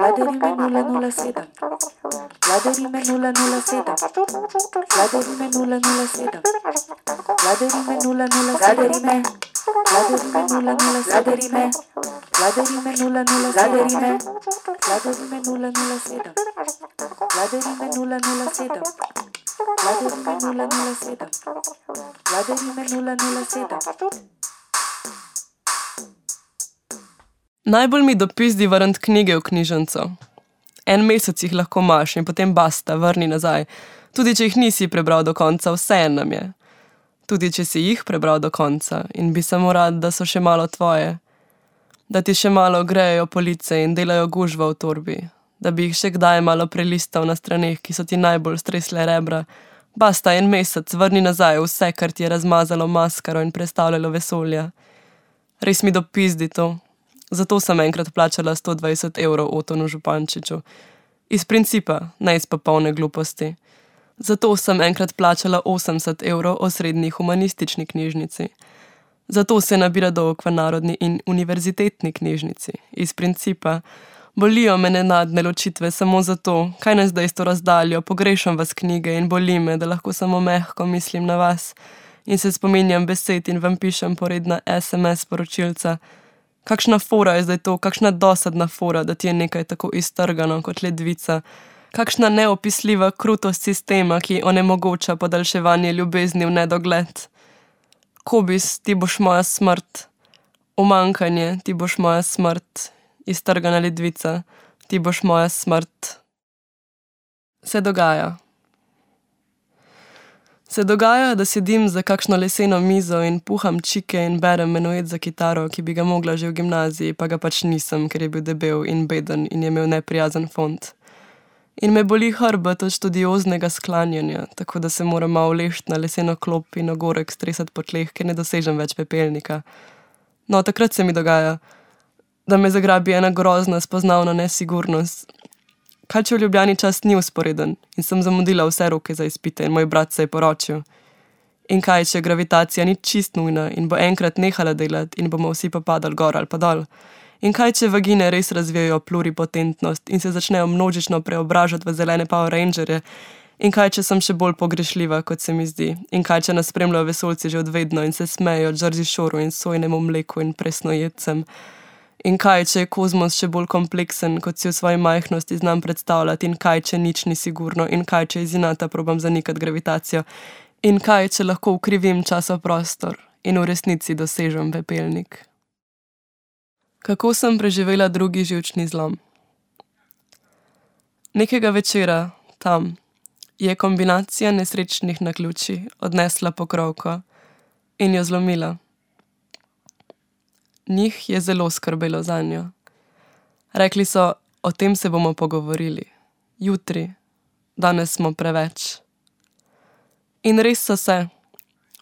Vladarime 007. Vladarime 007. Vladarime 007. Vladarime 007. Vladarime 007. Vladarime 007. Vladarime 007. Vladarime 007. Vladarime 007. Vladarime 007. Najbolj mi dopizdi vrniti knjige v knjižnico. En mesec jih lahko imaš in potem basta, vrni nazaj. Tudi če jih nisi prebral do konca, vseeno nam je. Tudi če si jih prebral do konca in bi samo rad, da so še malo tvoje. Da ti še malo grejejo police in delajo gužva v torbi. Da bi jih še kdaj malo prelistal na straneh, ki so ti najbolj stresle rebra. Basta, en mesec, vrni nazaj vse, kar ti je razmazalo maskaro in prestavljalo vesolja. Res mi dopizdi to. Zato sem enkrat plačala 120 € Otonu Župančiču. Iz principa, ne iz popolne gluposti. Zato sem enkrat plačala 80 € osrednji humanistični knjižnici. Zato se nabira dolg v narodni in univerzitetni knjižnici. Iz principa. Bolijo me nenadne ločitve samo zato, kaj nas zdaj s to razdaljo, pogrešam vas knjige in boli me, da lahko samo mehko mislim na vas in se spominjam besed in vam pišem poredna SMS poročilca. Kakšna fora je zdaj to, kakšna dosadna fora, da ti je nekaj tako iztrgano kot ledvica. Kakšna neopisljiva krutost sistema, ki onemogoča podaljševanje ljubezni v nedogled. Kobis, ti boš moja smrt. Umankanje, ti boš moja smrt. Iztrgana ledvica, ti boš moja smrt. Se dogaja. Se dogaja, da sedim za kakšno leseno mizo in puham čike in berem menuet za kitaro, ki bi ga mogla že v gimnaziji, pa ga pač nisem, ker je bil debel in beden in je imel neprijazen font. In me boli hrbet od študioznega sklanjanja, tako da se moram malo lešt na leseno klop in ogorek stresati po tleh, ker ne dosežem več pepelnika. No, takrat se mi dogaja, da me zagrabi ena grozna spoznavna nesigurnost. Kaj če v Ljubljani čas ni usporeden in sem zamudila vse roke za izpite in moj brat se je poročil? In kaj če gravitacija ni čist nujna in bo enkrat nehala delati in bomo vsi popadali gor ali pa dol? In kaj če vagine res razvijajo pluripotentnost in se začnejo množično preobražati v zelene Power Rangerje? In kaj če sem še bolj pogrešljiva, kot se mi zdi? In kaj če nas spremljajo vesoljci že od vedno in se smejejo Jersey Shoreu in sojnemu mleku in presnojedcem? In kaj, če je kozmos še bolj kompleksen, kot si v svoji majhnosti znam predstavljati, in kaj, če nič ni sigurno, in kaj, če iz inata probam zanikati gravitacijo, in kaj, če lahko ukrivim časov-prostor in v resnici dosežem pepelnik. Kako sem preživela drugi živčni zlom? Nekega večera, tam, je kombinacija nesrečnih naključij odnesla pokrovko in jo zlomila. Njih je zelo skrbelo zanjo. Rekli so, o tem se bomo pogovorili. Jutri, danes smo preveč. In res so se.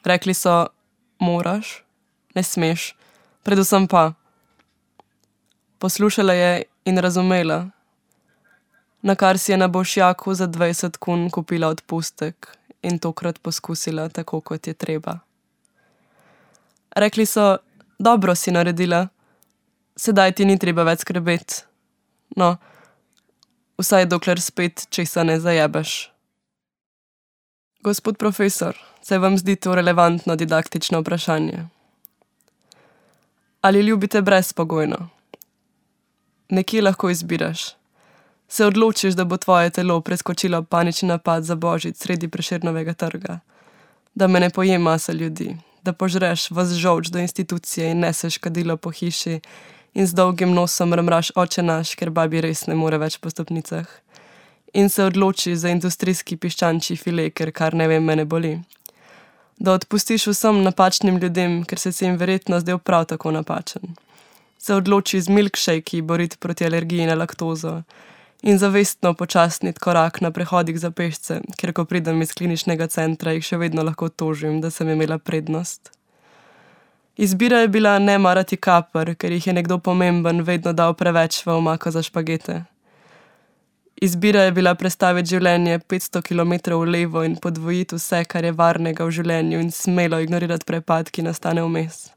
Rekli so, moraš, ne smeš, predvsem pa. Poslušala je in razumela, na kar si je na Bošjaku za 20 kun kupila odpustek in tokrat poskusila tako, kot je treba. Rekli so, dobro si naredila, sedaj ti ni treba več skrbeti. No, vsaj dokler spet česa ne zajebeš. Gospod profesor, se vam zdi to relevantno didaktično vprašanje? Ali ljubite brezpogojno? Nekje lahko izbiraš. Se odločiš, da bo tvoje telo preskočilo panični napad za Božič sredi Prešernovega trga. Da me ne poje masa ljudi. Da požreš vas žolč do institucije in neseš kadilo po hiši in z dolgim nosom mrmraš oče naš, ker babi res ne more več po stopnicah. In se odloči za industrijski piščančji file, ker kar ne vem, me ne boli. Da odpustiš vsem napačnim ljudem, ker se jim verjetno zdel prav tako napačen. Se odloči z milkshakei boriti proti alergiji na laktozo in zavestno počasniti korak na prehodih za pešce, ker ko pridem iz kliničnega centra, jih še vedno lahko tožim, da sem imela prednost. Izbira je bila ne marati kaper, ker jih je nekdo pomemben vedno dal preveč v omako za špagete. Izbira je bila prestaviti življenje 500 kilometrov v levo in podvojiti vse, kar je varnega v življenju in smelo ignorirati prepad, ki nastane vmes.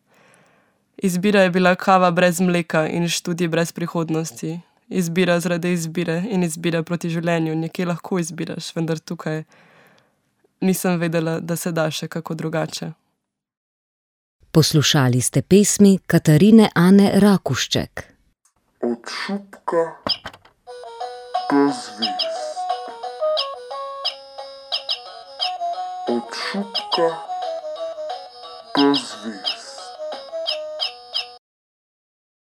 Izbira je bila kava brez mleka in študij brez prihodnosti. Izbira zaradi izbire in izbira proti življenju. Nekje lahko izbiraš, vendar tukaj nisem vedela, da se da še kako drugače. Poslušali ste pesmi Katarine Ane Rakušček. Od šupka do zvezd. Od šupka do zvezd.